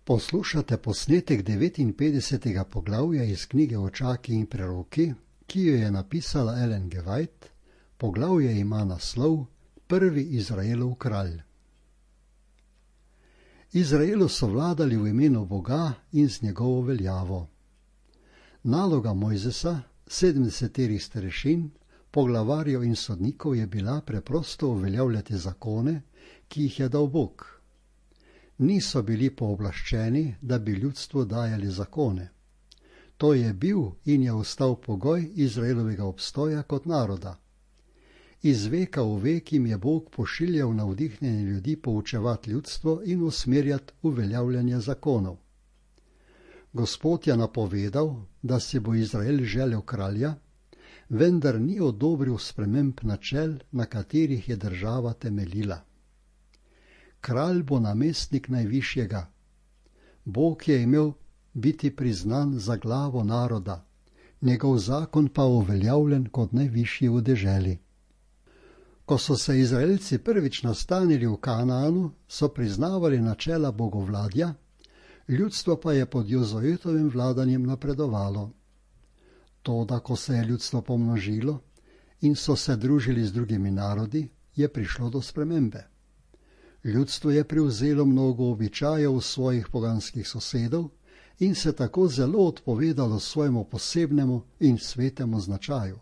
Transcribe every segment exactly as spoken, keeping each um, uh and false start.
Poslušate posnetek devetinpetdesetega poglavja iz knjige Očaki in preroki, ki jo je napisala Ellen G. White. Poglavje ima naslov Prvi Izraelov kralj. Izraelu so vladali v imenu Boga in z njegovo veljavo. Naloga Mojzesa, sedemdeseterih starešin, poglavarjev in sodnikov je bila preprosto uveljavljati zakone, ki jih je dal Bog. Niso bili pooblaščeni, da bi ljudstvu dajali zakone. To je bil in je ostal pogoj Izraelovega obstoja kot naroda. Iz veka v vek jim je Bog pošiljal navdihnjene ljudi poučevati ljudstvo in usmerjati uveljavljanje zakonov. Gospod je napovedal, da si bo Izrael želel kralja, vendar ni odobril sprememb načel, na katerih je država temeljila. Kralj bo namestnik najvišjega. Bog je imel biti priznan za glavo naroda, njegov zakon pa uveljavljen kot najvišji v deželi. Ko so se Izraelci prvič nastanili v Kanaanu, so priznavali načela bogovladja, ljudstvo pa je pod Jozuetovim vladanjem napredovalo. Toda, ko se je ljudstvo pomnožilo in so se družili z drugimi narodi, je prišlo do spremembe. Ljudstvo je prevzelo mnogo običajev svojih poganskih sosedov in se tako zelo odpovedalo svojemu posebnemu in svetemu značaju.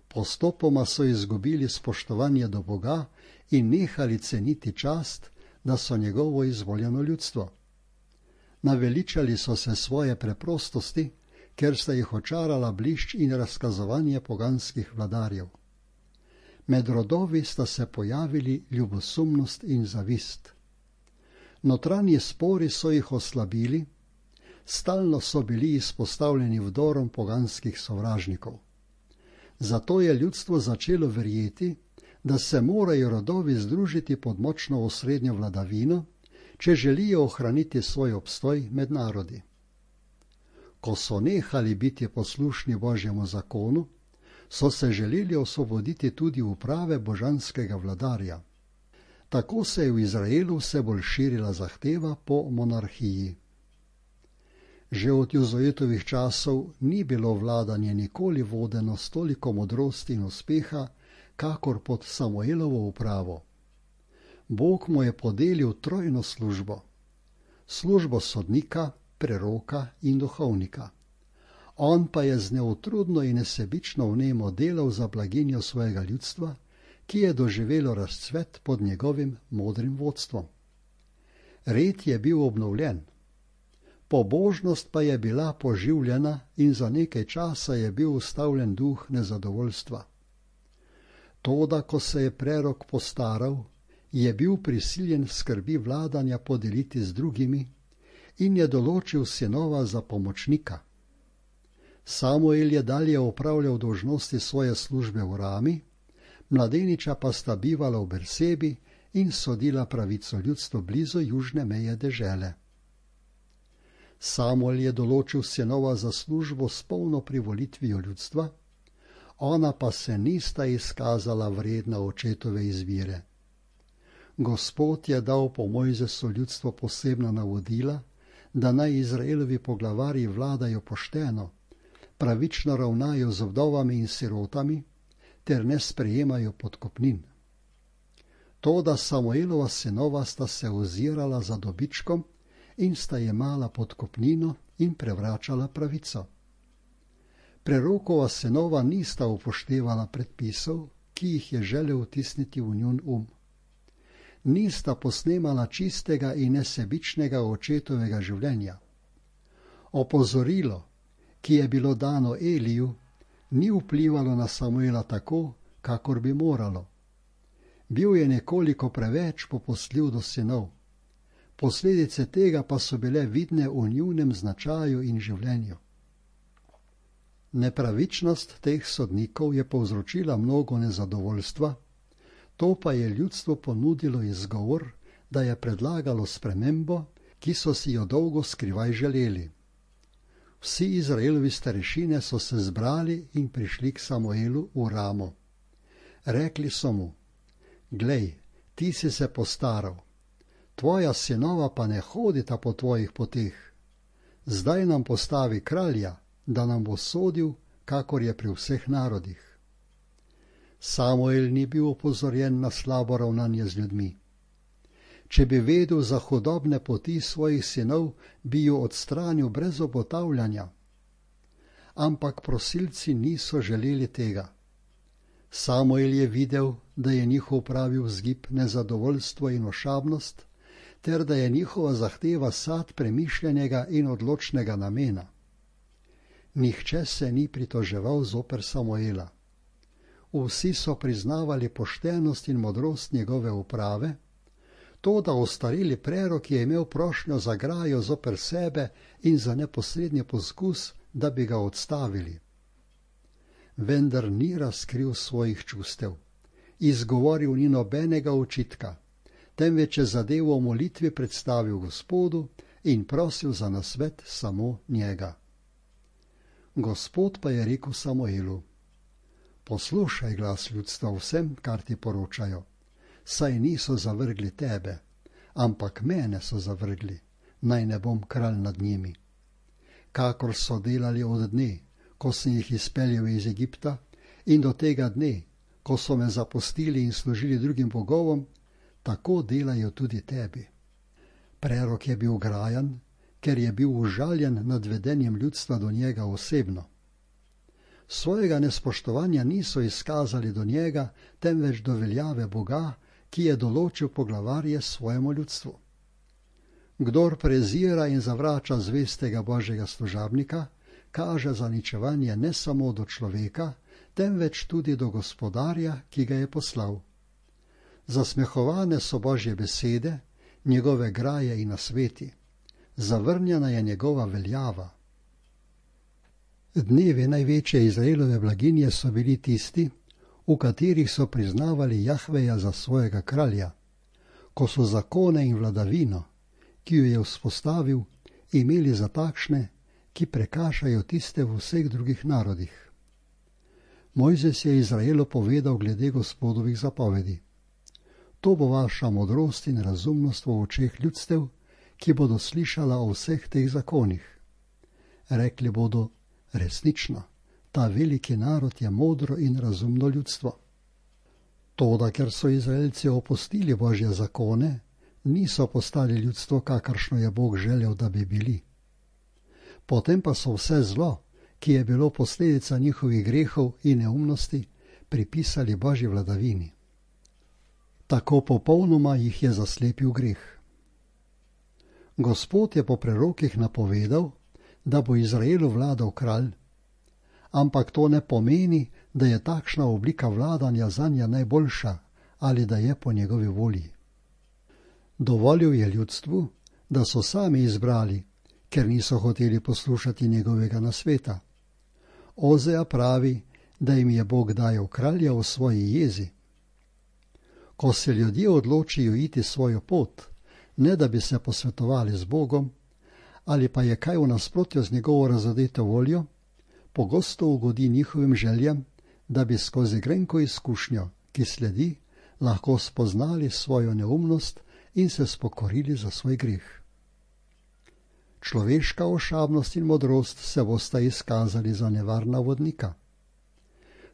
Postopoma so izgubili spoštovanje do Boga in nehali ceniti čast, da so njegovo izvoljeno ljudstvo. Naveličali so se svoje preprostosti, ker sta jih očarala blišč in razkazovanje poganskih vladarjev. Med rodovi sta se pojavili ljubosumnost in zavist. Notranji spori so jih oslabili, stalno so bili izpostavljeni vdorom poganskih sovražnikov. Zato je ljudstvo začelo verjeti, da se morajo rodovi združiti pod močno osrednjo vladavino, če želijo ohraniti svoj obstoj med narodi. Ko so nehali biti poslušni Božjemu zakonu, so se želeli osvoboditi tudi uprave božanskega vladarja. Tako se je v Izraelu vse bolj širila zahteva po monarhiji. Že od Jozuetovih časov ni bilo vladanje nikoli vodeno s toliko modrosti in uspeha, kakor pod Samuelovo upravo. Bog mu je podelil trojno službo. Službo sodnika, preroka in duhovnika. On pa je z neutrudno in nesebično vnemo delal za blaginjo svojega ljudstva, ki je doživelo razcvet pod njegovim modrim vodstvom. Red je bil obnovljen. Pobožnost pa je bila poživljena in za nekaj časa je bil ustavljen duh nezadovoljstva. Toda, ko se je prerok postaral, je bil prisiljen skrbi vladanja podeliti z drugimi in je določil sinova za pomočnika. Samuel je dalje opravljal dolžnosti svoje službe v Rami, mladeniča pa sta bivala v Bersebi in sodila pravico ljudstvu blizu južne meje dežele. Samuel je določil sinova za službo s polno privolitvijo ljudstva, ona pa se nista izkazala vredna očetove izbire. Gospod je dal po Mojzesu ljudstvo posebna navodila, da naj Izraelovi poglavarji vladajo pošteno, pravično ravnajo z vdovami in sirotami ter ne sprejemajo podkupnin. Toda Samuelova sinova sta se ozirala za dobičkom in sta jemala podkupnino in prevračala pravico. Prerokova sinova nista upoštevala predpisov, ki jih je želel vtisniti v njun um. Nista posnemala čistega in nesebičnega očetovega življenja. Opozorilo, ki je bilo dano Eliju, ni vplivalo na Samuela tako, kakor bi moralo. Bil je nekoliko preveč popustljiv do sinov. Posledice tega pa so bile vidne v njunem značaju in življenju. Nepravičnost teh sodnikov je povzročila mnogo nezadovoljstva, to pa je ljudstvo ponudilo izgovor, da je predlagalo spremembo, ki so si jo dolgo skrivaj želeli. Vsi Izraelovi starešine so se zbrali in prišli k Samuelu v Ramo. Rekli so mu: Glej, ti si se postaral. tvoja sinova pa ne hodita po tvojih poteh. Zdaj nam postavi kralja, da nam bo sodil, kakor je pri vseh narodih. Samuel ni bil opozorjen na slabo ravnanje z ljudmi. Če bi vedel za hudobne poti svojih sinov, bi ju odstranil brez obotavljanja. Ampak prosilci niso želeli tega. Samuel je videl, da je njihov pravi vzgib nezadovoljstvo in ošabnost, ter da je njihova zahteva sad premišljenega in odločnega namena. Nihče se ni pritoževal zoper Samuela. Vsi so priznavali poštenost in modrost njegove uprave, to, da ostareli prerok je imel prošnjo za grajo zoper sebe in za neposredni poskus, da bi ga odstavili. Vendar ni razkril svojih čustev, izgovoril ni nobenega očitka, temveč je zadevo v molitvi predstavil Gospodu in prosil za nasvet samo njega. Gospod pa je rekel Samuelu: poslušaj glas ljudstva vsem, kar ti poročajo, saj niso zavrgli tebe, ampak mene so zavrgli, naj ne bom kralj nad njimi. Kakor so delali od dne, ko sem jih izpeljal iz Egipta, in do tega dne, ko so me zapustili in služili drugim bogovom, tako delajo tudi tebi. Prerok je bil grajan, ker je bil užaljen nad vedenjem ljudstva do njega osebno. Svojega nespoštovanja niso izkazali do njega, temveč do veljave Boga, ki je določil poglavarje svojemu ljudstvu. Kdor prezira in zavrača zvestega Božjega služabnika, kaže zaničevanje ne samo do človeka, temveč tudi do Gospodarja, ki ga je poslal. Zasmehovane so Božje besede, njegove graje in nasveti. Zavrnjena je njegova veljava. Dnevi največje Izraelove blaginje so bili tisti, v katerih so priznavali Jahveja za svojega kralja, ko so zakone in vladavino, ki jo je vzpostavil, imeli za takšne, ki prekašajo tiste v vseh drugih narodih. Mojzes je Izraelu povedal glede Gospodovih zapovedi: to bo vaša modrost in razumnost v očeh ljudstev, ki bodo slišala o vseh teh zakonih. Rekli bodo: resnično, ta veliki narod je modro in razumno ljudstvo. Toda ker so Izraelci opustili Božje zakone, niso postali ljudstvo, kakršno je Bog želel, da bi bili. Potem pa so vse zlo, ki je bilo posledica njihovih grehov in neumnosti, pripisali Božji vladavini. Tako popolnoma jih je zaslepil greh. Gospod je po prerokih napovedal, da bo Izraelu vladal kralj, ampak to ne pomeni, da je takšna oblika vladanja zanje najboljša ali da je po njegovi volji. Dovolil je ljudstvu, da so sami izbrali, ker niso hoteli poslušati njegovega nasveta. Ozeja pravi, da jim je Bog dajal kralja v svoji jezi. Ko se ljudje odločijo iti svojo pot, ne da bi se posvetovali z Bogom, ali pa je kaj v nasprotju z njegovo razodeto voljo, pogosto ugodi njihovim željam, da bi skozi grenko izkušnjo, ki sledi, lahko spoznali svojo neumnost in se spokorili za svoj greh. Človeška ošabnost in modrost se bosta izkazali za nevarna vodnika.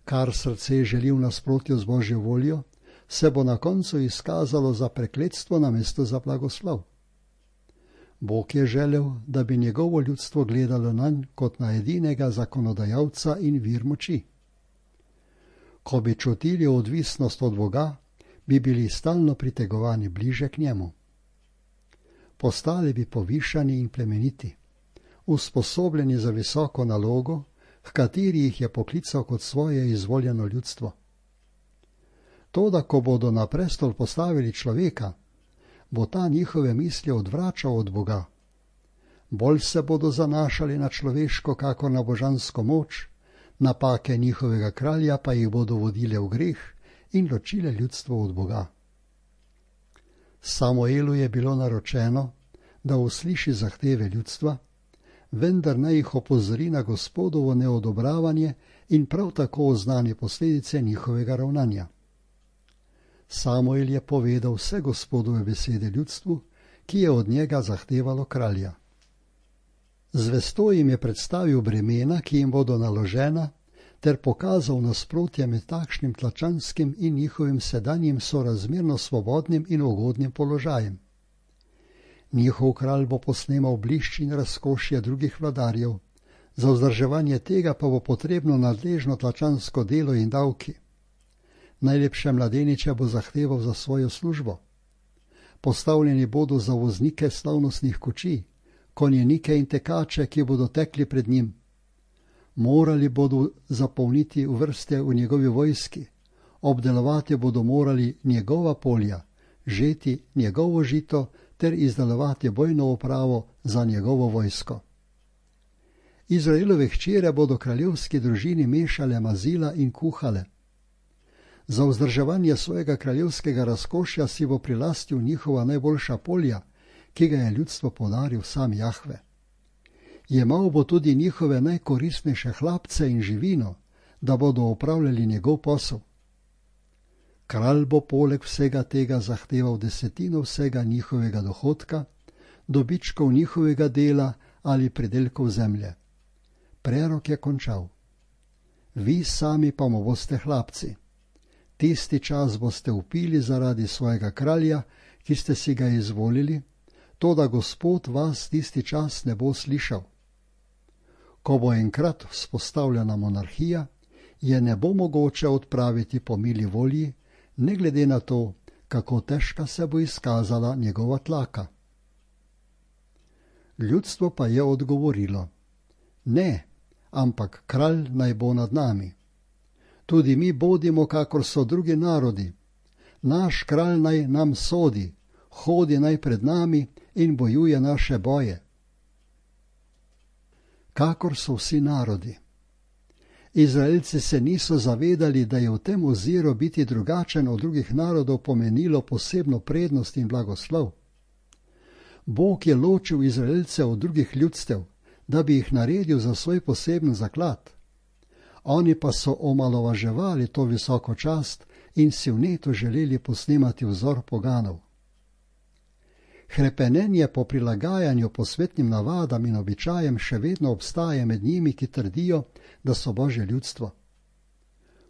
Kar srce želi v nasprotju z Božjo voljo, se bo na koncu izkazalo za prekletstvo namesto za blagoslov. Bog je želel, da bi njegovo ljudstvo gledalo nanj kot na edinega zakonodajalca in vir moči. Ko bi čutili odvisnost od Boga, bi bili stalno pritegovani bliže k njemu. Postali bi povišani in plemeniti, usposobljeni za visoko nalogo, h kateri jih je poklical kot svoje izvoljeno ljudstvo. Toda, ko bodo na prestol postavili človeka, bo ta njihove misli odvračal od Boga. Bolj se bodo zanašali na človeško, kakor na božansko moč, napake njihovega kralja pa jih bodo vodile v greh in ločile ljudstvo od Boga. Samuelu je bilo naročeno, da usliši zahteve ljudstva, vendar naj jih opozori na Gospodovo neodobravanje in prav tako oznani posledice njihovega ravnanja. Samuel je povedal vse Gospodove besede ljudstvu, ki je od njega zahtevalo kralja. Zvesto jim je predstavil bremena, ki jim bodo naložena, ter pokazal nasprotje med takšnim tlačanskim in njihovim sedanjim sorazmerno svobodnim in ugodnim položajem. Njihov kralj bo posnemal blišč in razkošje drugih vladarjev, za vzdrževanje tega pa bo potrebno nadležno tlačansko delo in davki. Najlepše mladeniče bo zahteval za svojo službo. Postavljeni bodo za voznike slavnostnih kočij, konjenike in tekače, ki bodo tekli pred njim. Morali bodo zapolniti vrste v njegovi vojski, obdelovati bodo morali njegova polja, žeti njegovo žito ter izdelovati bojno opravo za njegovo vojsko. Izraelove hčere bodo kraljevski družini mešale mazila in kuhale. Za vzdrževanje svojega kraljevskega razkošja si bo prilastil njihova najboljša polja, ki ga je ljudstvo podaril sam Jahve. Jemal bo tudi njihove najkoristnejše hlapce in živino, da bodo opravljali njegov posel. Kralj bo poleg vsega tega zahteval desetino vsega njihovega dohodka, dobičkov njihovega dela ali pridelkov zemlje. Prerok je končal. Vi sami pa mu boste hlapci. Tisti čas boste upili zaradi svojega kralja, ki ste si ga izvolili, toda Gospod vas tisti čas ne bo slišal. Ko bo enkrat vzpostavljena monarhija, je ne bo mogoče odpraviti po mili volji, ne glede na to, kako težka se bo izkazala njegova tlaka. Ljudstvo pa je odgovorilo: ne, ampak kralj naj bo nad nami. Tudi mi bodimo, kakor so drugi narodi. Naš kralj naj nam sodi, hodi naj pred nami in bojuje naše boje. Kakor so vsi narodi. Izraelci se niso zavedali, da je v tem oziru biti drugačen od drugih narodov pomenilo posebno prednost in blagoslov. Bog je ločil Izraelce od drugih ljudstev, da bi jih naredil za svoj poseben zaklad. Oni pa so omalovaževali to visoko čast in si vneto želeli posnemati vzor poganov. Hrepenenje po prilagajanju posvetnim navadam in običajem še vedno obstaja med njimi, ki trdijo, da so Božje ljudstvo.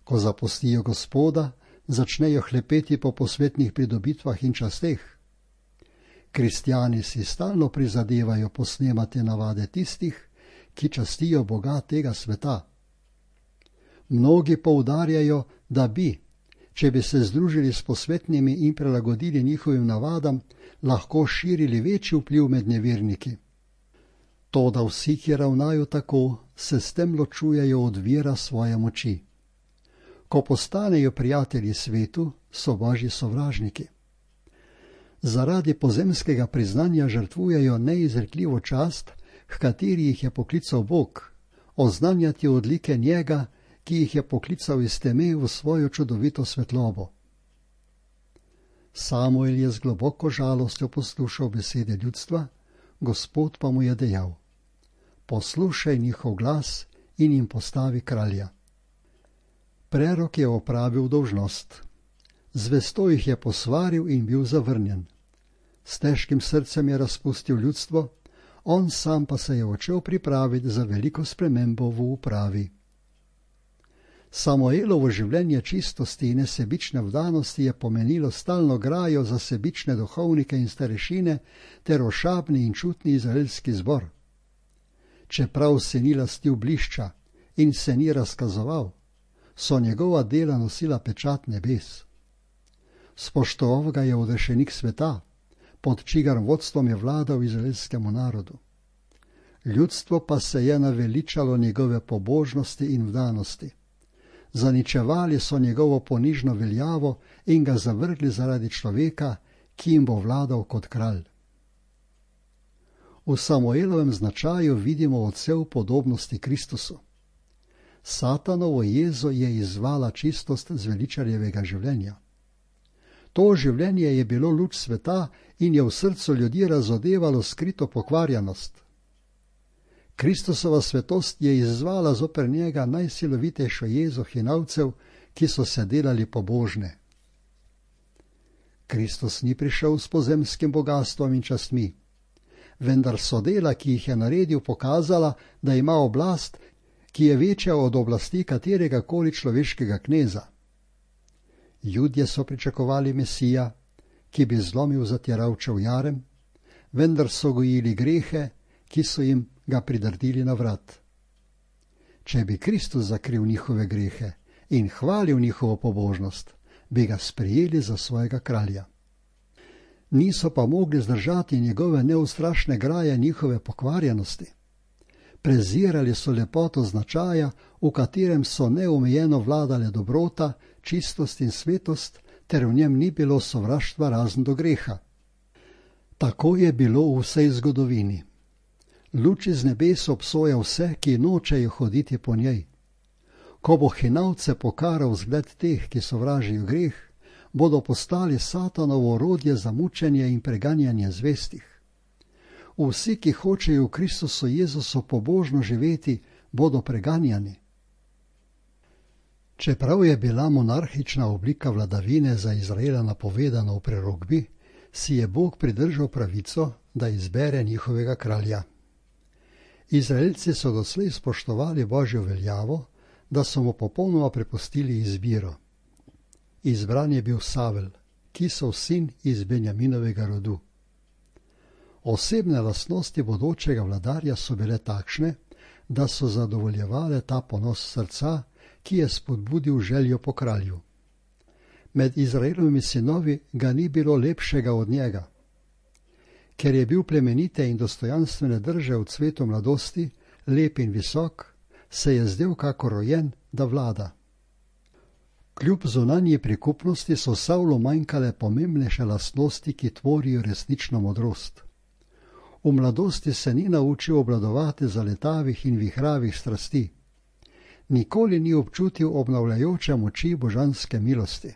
Ko zapustijo Gospoda, začnejo hlepeti po posvetnih pridobitvah in časteh. Kristjani si stalno prizadevajo posnemati navade tistih, ki častijo Boga tega sveta. Mnogi poudarjajo, da bi, če bi se združili s posvetnimi in prilagodili njihovim navadam, lahko širili večji vpliv med neverniki. Toda vsi, ki ravnajo tako, se s tem ločujejo od vira svoje moči. Ko postanejo prijatelji svetu, so Božji sovražniki. Zaradi pozemskega priznanja žrtvujejo neizrekljivo čast, h kateri jih je poklical Bog, oznanjati odlike njega, ki jih je poklical iz teme v svojo čudovito svetlobo. Samuel je z globoko žalostjo poslušal besede ljudstva, Gospod pa mu je dejal: poslušaj njihov glas in jim postavi kralja. Prerok je opravil dolžnost. Zvesto jih je posvaril in bil zavrnjen. S težkim srcem je razpustil ljudstvo, on sam pa se je odšel pripraviti za veliko spremembo v upravi. Samuelovo življenje čistosti in nesebične vdanosti je pomenilo stalno grajo za sebične duhovnike in starešine ter ošabni in čutni izraelski zbor. Čeprav se ni lastil blišča in se ni razkazoval, so njegova dela nosila pečat nebes. Spoštoval ga je odrešenik sveta, pod čigar vodstvom je vladal izraelskemu narodu. Ljudstvo pa se je naveličalo njegove pobožnosti in vdanosti. Zaničevali so njegovo ponižno veljavo in ga zavrgli zaradi človeka, ki jim bo vladal kot kralj. V Samuelovem značaju vidimo odsev podobnosti Kristusu. Satanovo jezo je izzvala čistost zveličarjevega življenja. To življenje je bilo luč sveta in je v srcu ljudi razodevalo skrito pokvarjenost. Kristusova svetost je izzvala zoper njega najsilovitejšo jezo hinavcev, ki so se delali pobožne. Kristus ni prišel s pozemskim bogastvom in častmi, vendar so dela, ki jih je naredil, pokazala, da ima oblast, ki je večja od oblasti katerega koli človeškega kneza. Judje so pričakovali Mesija, ki bi zlomil zatiralčev jarem, vendar so gojili grehe, ki so jim ga pridrdili na vrat. Če bi Kristus zakril njihove grehe in hvalil njihovo pobožnost, bi ga sprejeli za svojega kralja. Niso pa mogli zdržati njegove neustrašne graje njihove pokvarjenosti. Prezirali so lepoto značaja, v katerem so neomejeno vladale dobrota, čistost in svetost, ter v njem ni bilo sovraštva razen do greha. Tako je bilo v vsej zgodovini. Luč iz nebes obsoja vse, ki nočejo hoditi po njej. Ko bo hinavce pokaral zgled teh, ki sovražijo greh, bodo postali satanovo orodje za mučenje in preganjanje zvestih. Vsi, ki hočejo v Kristusu Jezusu pobožno živeti, bodo preganjani. Čeprav je bila monarhična oblika vladavine za Izraela napovedana v prerokbi, si je Bog pridržal pravico, da izbere njihovega kralja. Izraelci so doslej spoštovali Božjo veljavo, da so mu popolnoma prepustili izbiro. Izbran je bil Savel, Kisov sin iz Benjaminovega rodu. Osebne lastnosti bodočega vladarja so bile takšne, da so zadovoljevale ta ponos srca, ki je spodbudil željo po kralju. Med Izraelovimi sinovi ga ni bilo lepšega od njega. Ker je bil plemenite in dostojanstvene drže v cvetu mladosti, lep in visok, se je zdel kako rojen, da vlada. Kljub zunanji prikupnosti so Savlu manjkale pomembnejše lastnosti, ki tvorijo resnično modrost. V mladosti se ni naučil obvladovati zaletavih in vihravih strasti. Nikoli ni občutil obnavljajoče moči božanske milosti.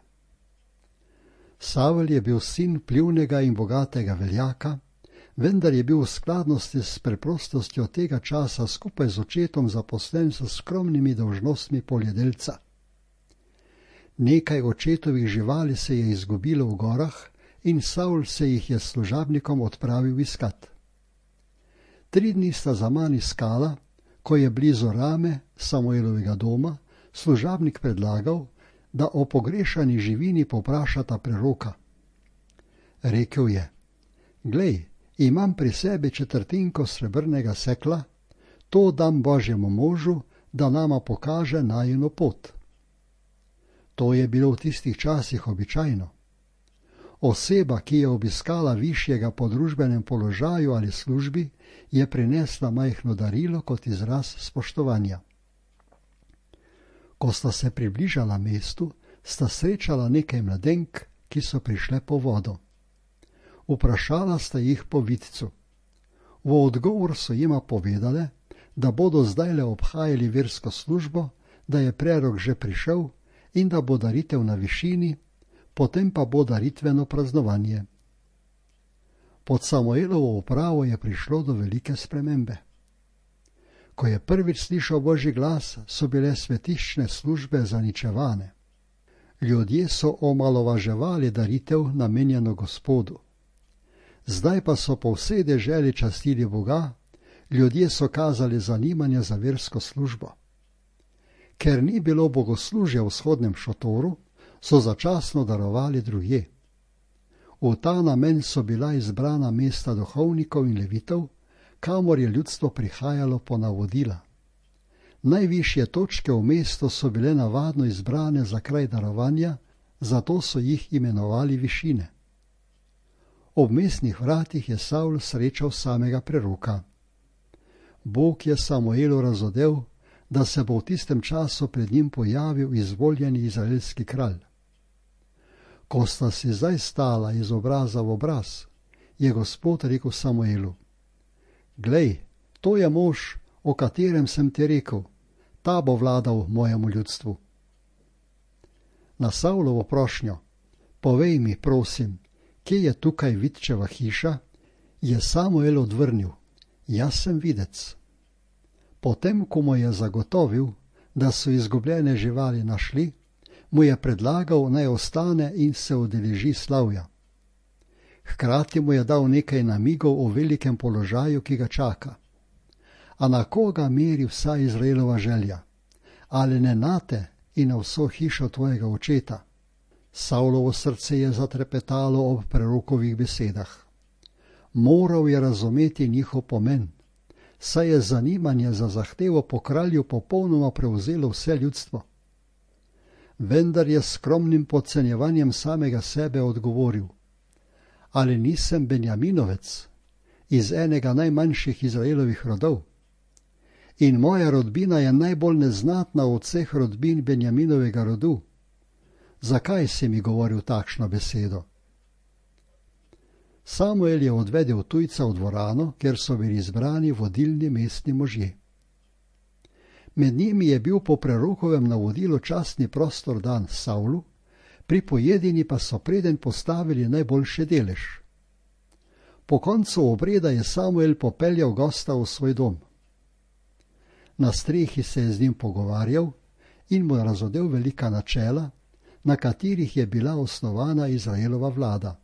Savel je bil sin vplivnega in bogatega veljaka, vendar je bil v skladnosti s preprostostjo tega časa skupaj z očetom zaposlen s skromnimi dolžnostmi poljedelca. Nekaj očetovih živali se je izgubilo v gorah in Savl se jih je s služabnikom odpravil iskat. Tri dni sta zaman iskala, ko je blizu Rame, Samuelovega doma, služabnik predlagal, da o pogrešani živini povprašata preroka. Rekel je: Glej, imam pri sebi četrtinko srebrnega sekla, to dam Božjemu možu, da nama pokaže najino pot. To je bilo v tistih časih običajno. Oseba, ki je obiskala višjega po družbenem položaju ali službi, je prinesla majhno darilo kot izraz spoštovanja. Ko sta se približala mestu, sta srečala nekaj mladenk, ki so prišle po vodo. Vprašala sta jih po vidcu. V odgovor so jima povedale, da bodo zdajle obhajali versko službo, da je prerok že prišel in da bo daritev na višini, potem pa bo daritveno praznovanje. Pod Samuelovo upravo je prišlo do velike spremembe. Ko je prvič slišal Božji glas, so bile svetiščne službe zaničevane. Ljudje so omalovaževali daritev namenjeno Gospodu. Zdaj pa so po vsej deželi častili Boga, ljudje so kazali zanimanje za versko službo. Ker ni bilo bogoslužja v vzhodnem šotoru, so začasno darovali drugje. V ta namen so bila izbrana mesta duhovnikov in levitov, kamor je ljudstvo prihajalo po navodila. Najvišje točke v mestu so bile navadno izbrane za kraj darovanja, zato so jih imenovali višine. Ob mestnih vratih je Savl srečal samega preroka. Bog je Samuelu razodel, da se bo v tistem času pred njim pojavil izvoljeni izraelski kralj. Ko sta si zdaj stala iz obraza v obraz, je Gospod rekel Samuelu: Glej, to je mož, o katerem sem ti rekel, ta bo vladal mojemu ljudstvu. Na Savlovo prošnjo: Povej mi, prosim, kje je tukaj vidčeva hiša, je Samuel odvrnil: Jaz sem videc. Potem, ko mu je zagotovil, da so izgubljene živali našli, mu je predlagal, naj ostane in se udeleži slavja. Hkrati mu je dal nekaj namigov o velikem položaju, ki ga čaka. A na koga meri vsa Izraelova želja? Ali ne nate in na vso hišo tvojega očeta? Savlovo srce je zatrepetalo ob prerokovih besedah. Moral je razumeti njihov pomen, saj je zanimanje za zahtevo po kralju popolnoma prevzelo vse ljudstvo. Vendar je s skromnim podcenjevanjem samega sebe odgovoril: ali nisem Benjaminovec, iz enega najmanjših Izraelovih rodov? In moja rodbina je najbolj neznatna od vseh rodbin Benjaminovega rodu. Zakaj si mi govoril takšno besedo? Samuel je odvedel tujca v dvorano, kjer so bili izbrani vodilni mestni možje. Med njimi je bil po prerokovem navodilu častni prostor dan Savlu, pri pojedini pa so preden postavili najboljši delež. Po koncu obreda je Samuel popeljal gosta v svoj dom. Na strehi se je z njim pogovarjal in mu razodel velika načela, na katerih je bila osnovana Izraelova vlada.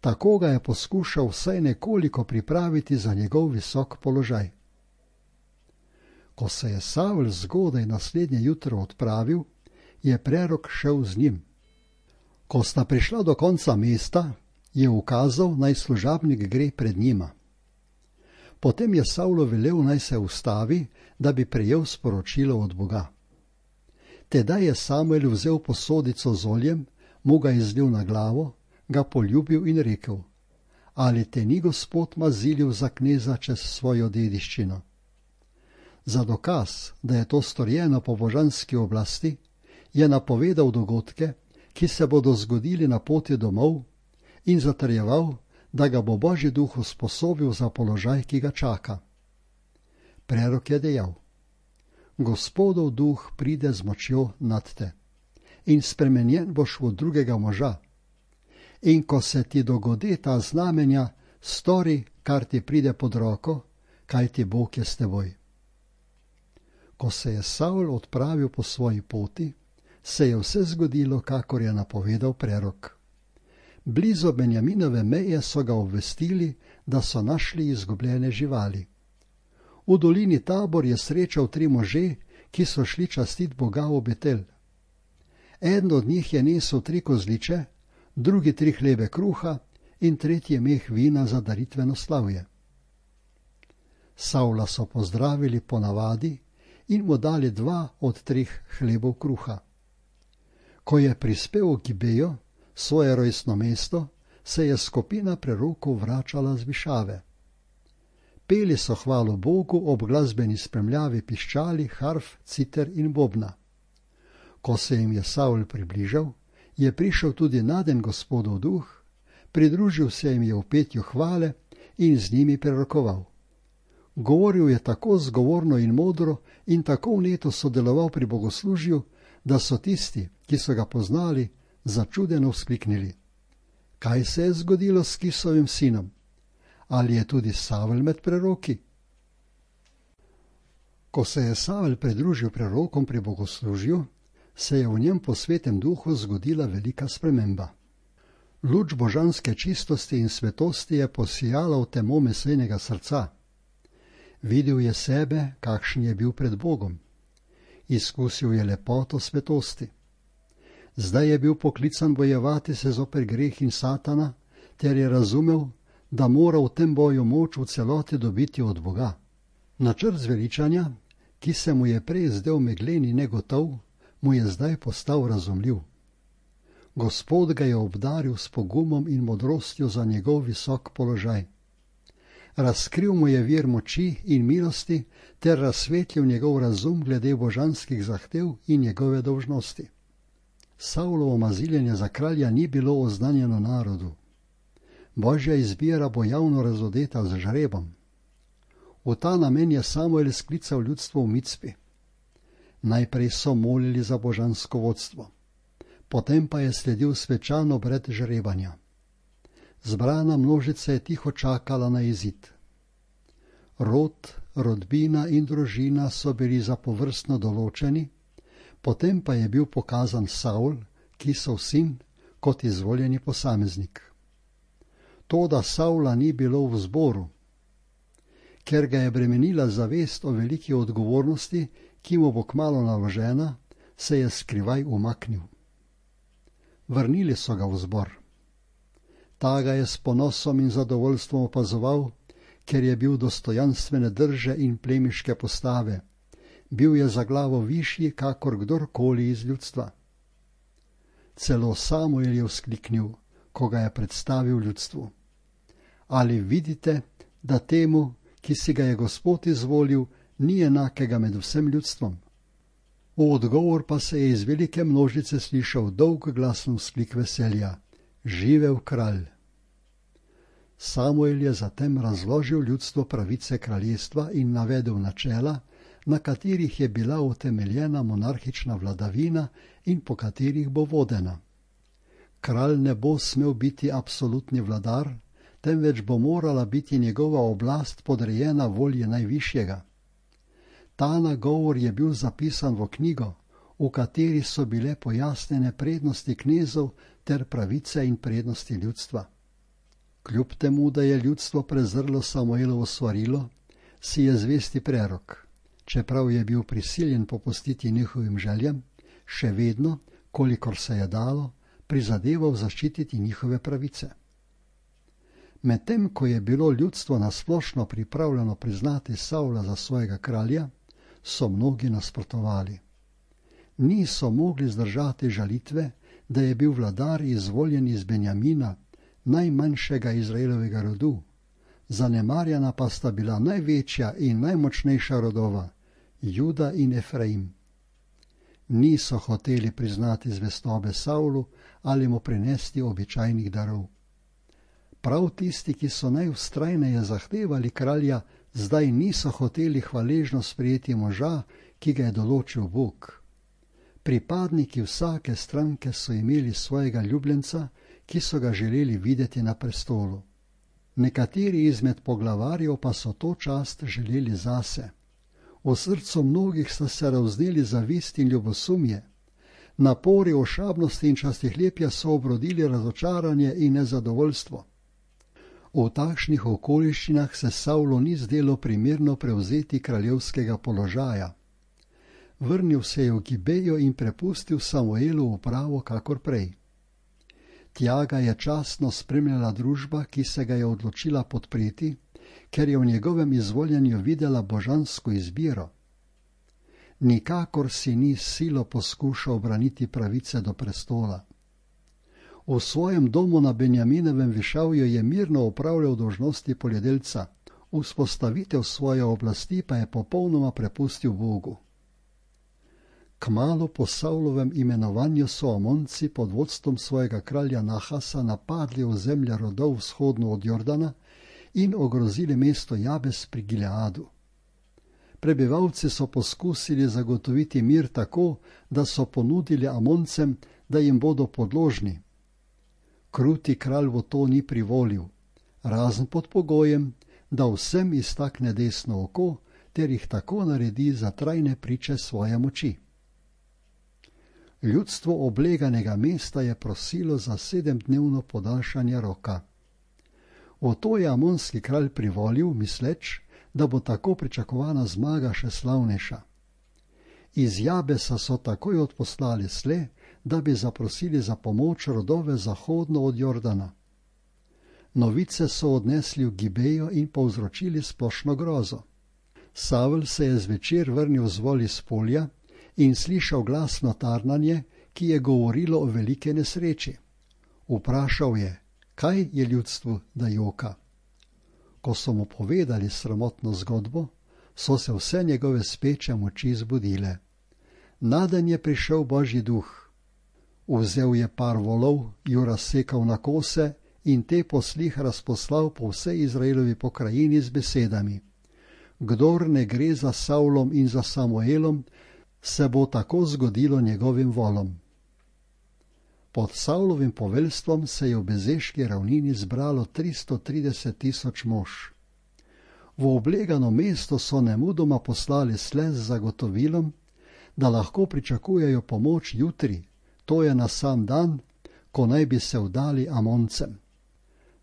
Tako ga je poskušal vsaj nekoliko pripraviti za njegov visok položaj. Ko se je Savl zgodaj naslednje jutro odpravil, je prerok šel z njim. Ko sta prišla do konca mesta, je ukazal, naj služabnik gre pred njima. Potem je Savlu velel, naj se ustavi, da bi prejel sporočilo od Boga. Tedaj je Samuel vzel posodico z oljem, mu ga izlil na glavo, ga poljubil in rekel: ali te ni Gospod mazilil za kneza čez svojo dediščino? Za dokaz, da je to storjeno po božanski oblasti, je napovedal dogodke, ki se bodo zgodili na poti domov, in zatrjeval, da ga bo Božji duh usposobil za položaj, ki ga čaka. Prerok je dejal: Gospodov duh pride z močjo nad te in spremenjen boš v drugega moža. In ko se ti dogodi ta znamenja, stori, kar ti pride pod roko, kajti Bog je s teboj. Ko se je Savl odpravil po svoji poti, se je vse zgodilo, kakor je napovedal prerok. Blizu Benjaminove meje so ga obvestili, da so našli izgubljene živali. V dolini Tabor je srečal tri može, ki so šli častit Boga v Betel. Eden od njih je nesel tri kozliče, drugi tri hlebe kruha in tretji meh vina za daritveno slavje. Savla so pozdravili po navadi in mu dali dva od treh hlebov kruha. Ko je prispel v Gibejo, svoje rojstno mesto, se je skupina prerokov vračala z višave. Peli so hvalo Bogu ob glasbeni spremljavi piščali, harf, citer in bobna. Ko se jim je Savl približal, je prišel tudi naden Gospodov duh, pridružil se jim je v petju hvale in z njimi prerokoval. Govoril je tako zgovorno in modro in tako vneto sodeloval pri bogoslužju, da so tisti, ki so ga poznali, začudeno vzkliknili: kaj se je zgodilo s Kisovim sinom? Ali je tudi Savl med preroki? Ko se je Savl pridružil prerokom pri bogoslužju, se je v njem po svetem duhu zgodila velika sprememba. Luč božanske čistosti in svetosti je posijala v temo mesejnega srca. Videl je sebe, kakšen je bil pred Bogom. Izkusil je lepoto svetosti. Zdaj je bil poklican bojevati se zoper greh in Satana, ter je razumel, da mora v tem boju moč v celoti dobiti od Boga. Načrt zveličanja, ki se mu je prej zdel meglen in negotov, mu je zdaj postal razumljiv. Gospod ga je obdaril s pogumom in modrostjo za njegov visok položaj. Razkril mu je vir moči in milosti ter razsvetlil njegov razum glede božanskih zahtev in njegove dolžnosti. Savlovo maziljenje za kralja ni bilo oznanjeno narodu. Božja izbira bo javno razodeta z žrebom. V ta namen je Samuel sklical ljudstvo v Micpi. Najprej so molili za božansko vodstvo, potem pa je sledil svečan obred žrebanja. Zbrana množica je tiho čakala na izid. Rod, rodbina in družina so bili zapovrstno določeni, potem pa je bil pokazan Savl, Kisov sin, kot izvoljeni posameznik. toda Savla ni bilo v zboru. Ker ga je bremenila zavest o veliki odgovornosti, ki mu bo kmalu naložena, se je skrivaj umaknil. Vrnili so ga v zbor. Ta ga je s ponosom in zadovoljstvom opazoval, ker je bil dostojanstvene drže in plemiške postave. Bil je za glavo višji, kakor kdorkoli iz ljudstva. Celo Samuel je vzkliknil, ko ga je predstavil ljudstvu. Ali vidite, da temu, ki si ga je Gospod izvolil, ni enakega med vsem ljudstvom? V odgovor pa se je iz velike množice slišal dolg glasen vzklik veselja. Živel kralj! Samuel je zatem razložil ljudstvu pravice kraljestva in navedel načela, na katerih je bila utemeljena monarhična vladavina in po katerih bo vodena. Kralj ne bo smel biti absolutni vladar, temveč bo morala biti njegova oblast podrejena volji najvišjega. Ta nagovor je bil zapisan v knjigo, v kateri so bile pojasnjene prednosti knezov ter pravice in prednosti ljudstva. Kljub temu, da je ljudstvo prezrlo Samuelovo svarilo, si je zvesti prerok, čeprav je bil prisiljen popustiti njihovim željam, še vedno, kolikor se je dalo, prizadeval zaščititi njihove pravice. Medtem ko je bilo ljudstvo nasplošno pripravljeno priznati Savla za svojega kralja, so mnogi nasprotovali. Niso mogli zdržati žalitve, da je bil vladar izvoljen iz Benjamina, najmanjšega Izraelovega rodu, zanemarjena pa sta bila največja in najmočnejša rodova, Juda in Efraim. Niso hoteli priznati zvestobe Savlu ali mu prinesti običajnih darov. Prav tisti, ki so najvztrajneje zahtevali kralja, zdaj niso hoteli hvaležno sprejeti moža, ki ga je določil Bog. Pripadniki vsake stranke so imeli svojega ljubljenca, ki so ga želeli videti na prestolu. Nekateri izmed poglavarjev pa so to čast želeli zase. V srcu mnogih sta se ravzneli zavist in ljubosumje. Napori ošabnosti in častihlepja so obrodili razočaranje in nezadovoljstvo. V takšnih okoliščinah se Savlu ni zdelo primerno prevzeti kraljevskega položaja. Vrnil se je v Gibejo in prepustil Samuelu upravo kakor prej. Tja ga je častno spremljala družba, ki se ga je odločila podpreti, ker je v njegovem izvoljenju videla božansko izbiro. Nikakor si ni silo poskušal obraniti pravice do prestola. V svojem domu na Benjaminovem višavju je mirno opravljal dolžnosti poljedelca, vzpostavitev svoje oblasti pa je popolnoma prepustil Bogu. Kmalu po Savlovem imenovanju so Amonci pod vodstvom svojega kralja Nahasa napadli ozemlja rodov vzhodno od Jordana in ogrozili mesto Jabes pri Gileadu. Prebivalci so poskusili zagotoviti mir tako, da so ponudili Amoncem, da jim bodo podložni. Kruti kralj v to ni privolil, razen pod pogojem, da vsem iztakne desno oko ter jih tako naredi za trajne priče svoje moči. Ljudstvo obleganega mesta je prosilo za sedemdnevno podaljšanje roka. V to je amonski kralj privolil, misleč, da bo tako pričakovana zmaga še slavnejša. Iz Jabesa so takoj odposlali sle, da bi zaprosili za pomoč rodove zahodno od Jordana. Novice so odnesli v Gibejo in povzročili splošno grozo. Savel se je zvečer vrnil z voli s polja in slišal glasno tarnanje, ki je govorilo o velike nesreči. Vprašal je, kaj je ljudstvu, da joka. Ko so mu povedali sramotno zgodbo, so se vse njegove speče moči zbudile. Naden je prišel Božji duh. Vzel je par volov, ju razsekal na kose in te poslih razposlal po vsej Izraelovi pokrajini z besedami: Kdor ne gre za Savlom in za Samuelom, se bo tako zgodilo njegovim volom. Pod Savlovim poveljstvom se je v Bezeški ravnini zbralo tristo trideset tisoč mož. V oblegano mesto so nemudoma poslali slez z zagotovilom, da lahko pričakujejo pomoč jutri, to je na sam dan, ko naj bi se vdali Amoncem.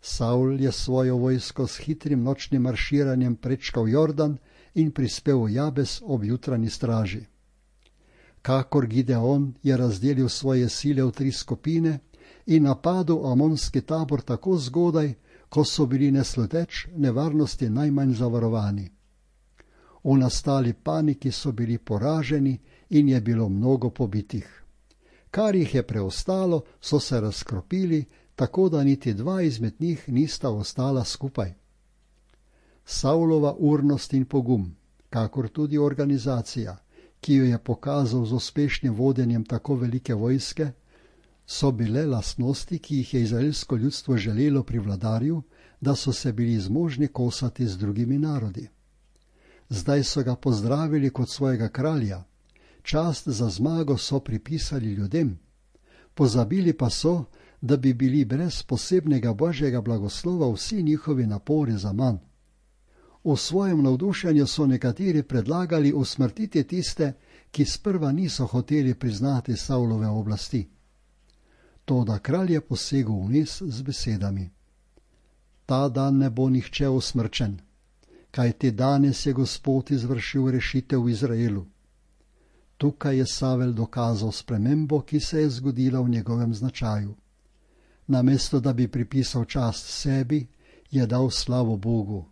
Saul je svojo vojsko s hitrim nočnim marširanjem prečkal Jordan in prispel v Jabes ob jutranji straži. Kakor Gideon je razdelil svoje sile v tri skupine in napadel amonski tabor tako zgodaj, ko so bili nesluteč nevarnosti najmanj zavarovani. V nastali paniki so bili poraženi in je bilo mnogo pobitih. Kar jih je preostalo, so se razkropili, tako da niti dva izmed njih nista ostala skupaj. Saulova urnost in pogum, kakor tudi organizacija, ki jo je pokazal z uspešnim vodenjem tako velike vojske, so bile lastnosti, ki jih je izraelsko ljudstvo želelo pri vladarju, da so se bili zmožni kosati z drugimi narodi. Zdaj so ga pozdravili kot svojega kralja, čast za zmago so pripisali ljudem, pozabili pa so, da bi bili brez posebnega božjega blagoslova vsi njihovi napori za manj. V svojem navdušenju so nekateri predlagali usmrtiti tiste, ki sprva niso hoteli priznati Saulove oblasti. Toda kralj je posegel vniz z besedami: Ta dan ne bo nihče usmrčen, kajti danes je Gospod izvršil rešitev v Izraelu. Tukaj je Savel dokazal spremembo, ki se je zgodila v njegovem značaju. Namesto da bi pripisal čast sebi, je dal slavo Bogu.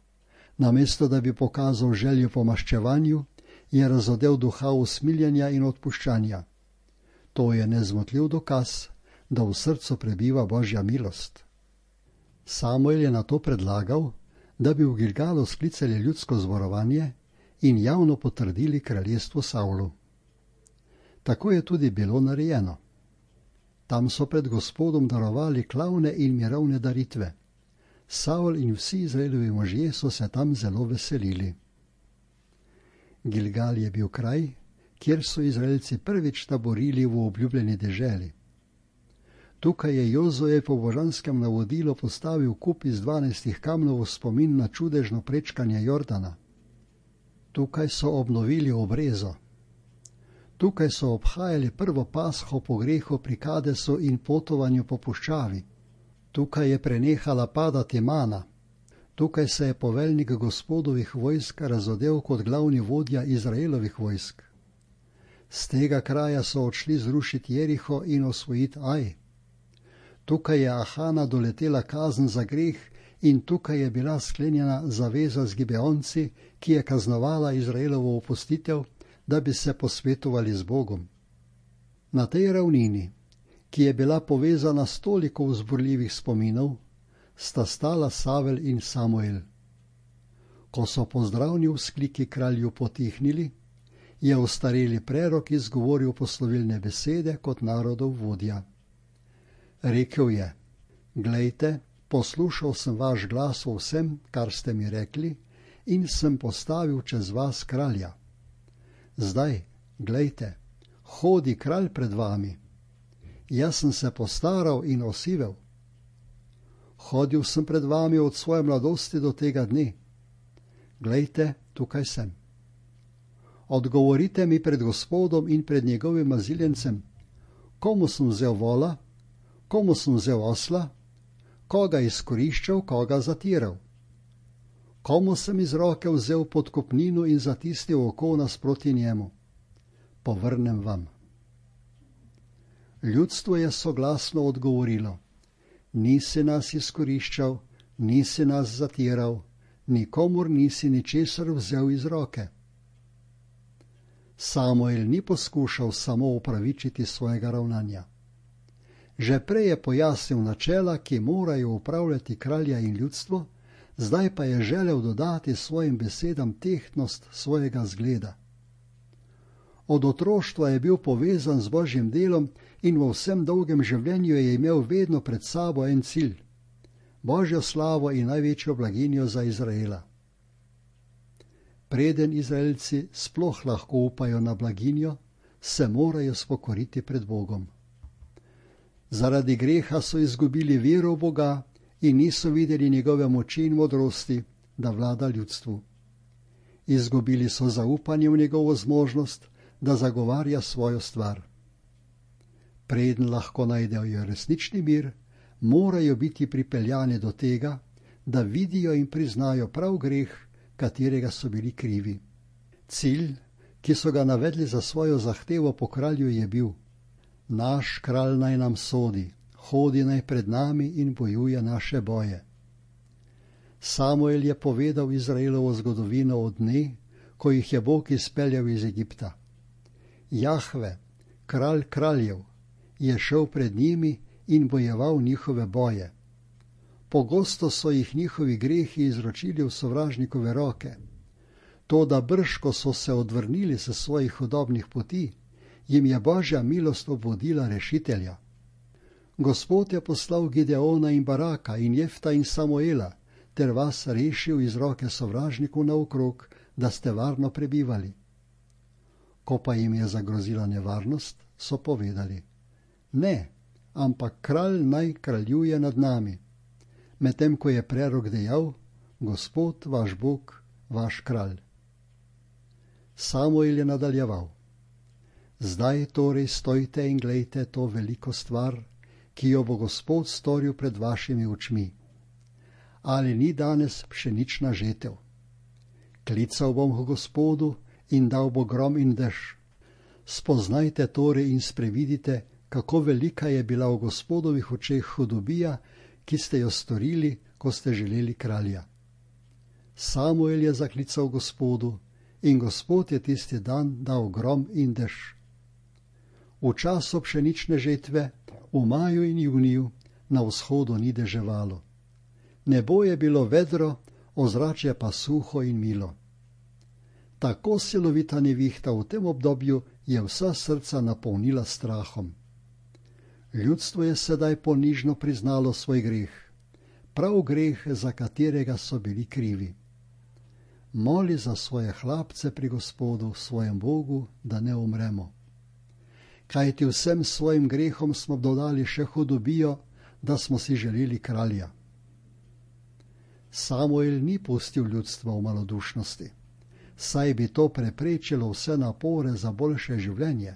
Namesto da bi pokazal željo po maščevanju, je razodel duha usmiljenja in odpuščanja. To je nezmotljiv dokaz, da v srcu prebiva Božja milost. Samuel je nato predlagal, da bi v Gilgalu sklicali ljudsko zborovanje in javno potrdili kraljestvo Saulu. Tako je tudi bilo narejeno. Tam so pred Gospodom darovali klavne in mirovne daritve. Saul in vsi Izraelovi možje so se tam zelo veselili. Gilgal je bil kraj, kjer so Izraelci prvič taborili v obljubljeni deželi. Tukaj je Jozue po božanskem navodilu postavil kup iz dvanajstih kamnov v spomin na čudežno prečkanje Jordana. Tukaj so obnovili obrezo. Tukaj so obhajali prvo pasho po grehu pri Kadesu in potovanju po puščavi. Tukaj je prenehala padati mana. Tukaj se je poveljnik Gospodovih vojsk razodel kot glavni vodja Izraelovih vojsk. Z tega kraja so odšli zrušiti Jeriho in osvojiti Aj. Tukaj je Ahana doletela kazen za greh in tukaj je bila sklenjena zaveza z Gibeonci, ki je kaznovala Izraelovo opustitev, da bi se posvetovali z Bogom. Na tej ravnini, ki je bila povezana s toliko vzburljivih spominov, sta stala Savel in Samuel. Ko so pozdravni vzkliki kralju potihnili, je ostareli prerok izgovoril poslovilne besede kot narodov vodja. Rekel je: Glejte, poslušal sem vaš glas o vsem, kar ste mi rekli, in sem postavil čez vas kralja. Zdaj, glejte, hodi kralj pred vami. Jaz sem se postaral in osivel. Hodil sem pred vami od svoje mladosti do tega dne. Glejte, tukaj sem. Odgovorite mi pred Gospodom in pred njegovim maziljencem, komu sem vzel vola, komu sem vzel osla, koga izkoriščal, koga zatiral. Komu sem iz roke vzel podkupnino in zatisnil oko nasproti njemu. Povrnem vam. Ljudstvo je soglasno odgovorilo: Nisi nas izkoriščal, nisi nas zatiral, nikomur nisi ničesar vzel iz roke. Samuel ni poskušal samo upravičiti svojega ravnanja. Že prej je pojasnil načela, ki morajo upravljati kralja in ljudstvo, zdaj pa je želel dodati svojim besedam tehtnost svojega zgleda. Od otroštva je bil povezan z Božjim delom in v vsem dolgem življenju je imel vedno pred sabo en cilj: Božjo slavo in največjo blaginjo za Izraela. Preden Izraelci sploh lahko upajo na blaginjo, se morajo spokoriti pred Bogom. Zaradi greha so izgubili vero v Boga in niso videli njegove moči in modrosti, da vlada ljudstvu. Izgubili so zaupanje v njegovo zmožnost, da zagovarja svojo stvar. Preden lahko najdejo resnični mir, morajo biti pripeljani do tega, da vidijo in priznajo prav greh, katerega so bili krivi. Cilj, ki so ga navedli za svojo zahtevo po kralju, je bil: naš kralj naj nam sodi, hodi naj pred nami in bojuje naše boje. Samuel je povedal Izraelovo zgodovino od dne, ko jih je Bog izpeljal iz Egipta. Jahve, kralj kraljev, je šel pred njimi in bojeval njihove boje. Pogosto so jih njihovi grehi izročili v sovražnikove roke. To, da brž, ko so se odvrnili se svojih hudobnih poti, jim je Božja milost obvodila rešitelja. Gospod je poslal Gideona in Baraka in Jefta in Samuela, ter vas rešil iz roke sovražnikov naokrog, da ste varno prebivali. Ko pa jim je zagrozila nevarnost, so povedali: ne, ampak kralj naj kraljuje nad nami. Medtem ko je prerok dejal: Gospod, vaš Bog, vaš kralj. Samuel je nadaljeval: zdaj torej stojte in glejte to veliko stvar, ki jo bo Gospod storil pred vašimi očmi. Ali ni danes pšenična žetev? Klical bom k Gospodu in dal bo grom in dež. Spoznajte torej in sprevidite, kako velika je bila v Gospodovih očeh hudobija, ki ste jo storili, ko ste želeli kralja. Samuel je zaklical Gospodu in Gospod je tisti dan dal grom in dež. V času pšenične žetve, v maju in juniju, na vzhodu ni deževalo. Nebo je bilo vedro, ozračje pa suho in milo. Tako silovita nevihta v tem obdobju je vsa srca napolnila strahom. Ljudstvo je sedaj ponižno priznalo svoj greh, prav greh, za katerega so bili krivi. Moli za svoje hlapce pri Gospodu, svojem Bogu, da ne umremo. Kajti vsem svojim grehom smo dodali še hudobijo, da smo si želeli kralja. Samuel ni pustil ljudstva v malodušnosti, saj bi to preprečilo vse napore za boljše življenje.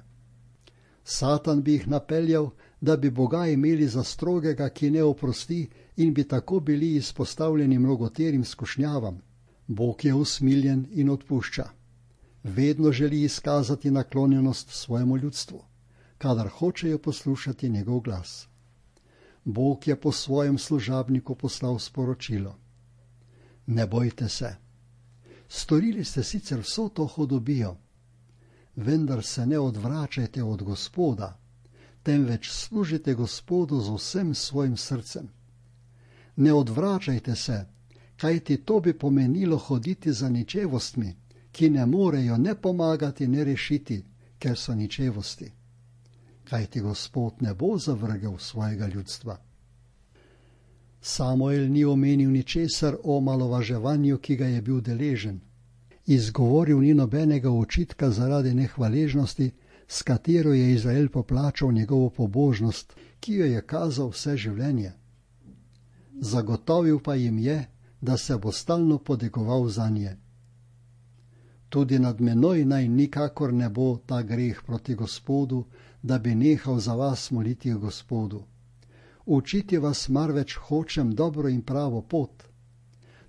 Satan bi jih napeljal, da bi Boga imeli za strogega, ki ne oprosti, in bi tako bili izpostavljeni mnogoterim skušnjavam. Bog je usmiljen in odpušča. Vedno želi izkazati naklonjenost svojemu ljudstvu, kadar hočejo poslušati njegov glas. Bog je po svojem služabniku poslal sporočilo: ne bojte se. Storili ste sicer vso to hudobijo, vendar se ne odvračajte od Gospoda, temveč služite Gospodu z vsem svojim srcem. Ne odvračajte se, kajti to bi pomenilo hoditi za ničevostmi, ki ne morejo ne pomagati, ne rešiti, ker so ničevosti. Kajti Gospod ne bo zavrgel svojega ljudstva. Samuel ni omenil ničesar o malovaževanju, ki ga je bil deležen. Izgovoril ni nobenega očitka zaradi nehvaležnosti, s katero je Izrael poplačal njegovo pobožnost, ki jo je kazal vse življenje. Zagotovil pa jim je, da se bo stalno podegoval zanje. Tudi nad menoj naj nikakor ne bo ta greh proti Gospodu, da bi nehal za vas moliti Gospodu. Učiti vas marveč hočem dobro in pravo pot.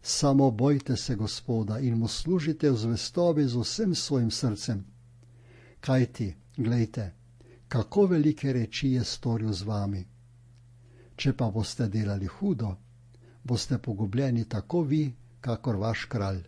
Samo bojte se Gospoda in mu služite v zvestobi z vsem svojim srcem. Kajti, glejte, kako velike reči je storil z vami. Če pa boste delali hudo, boste pogubljeni tako vi, kakor vaš kralj.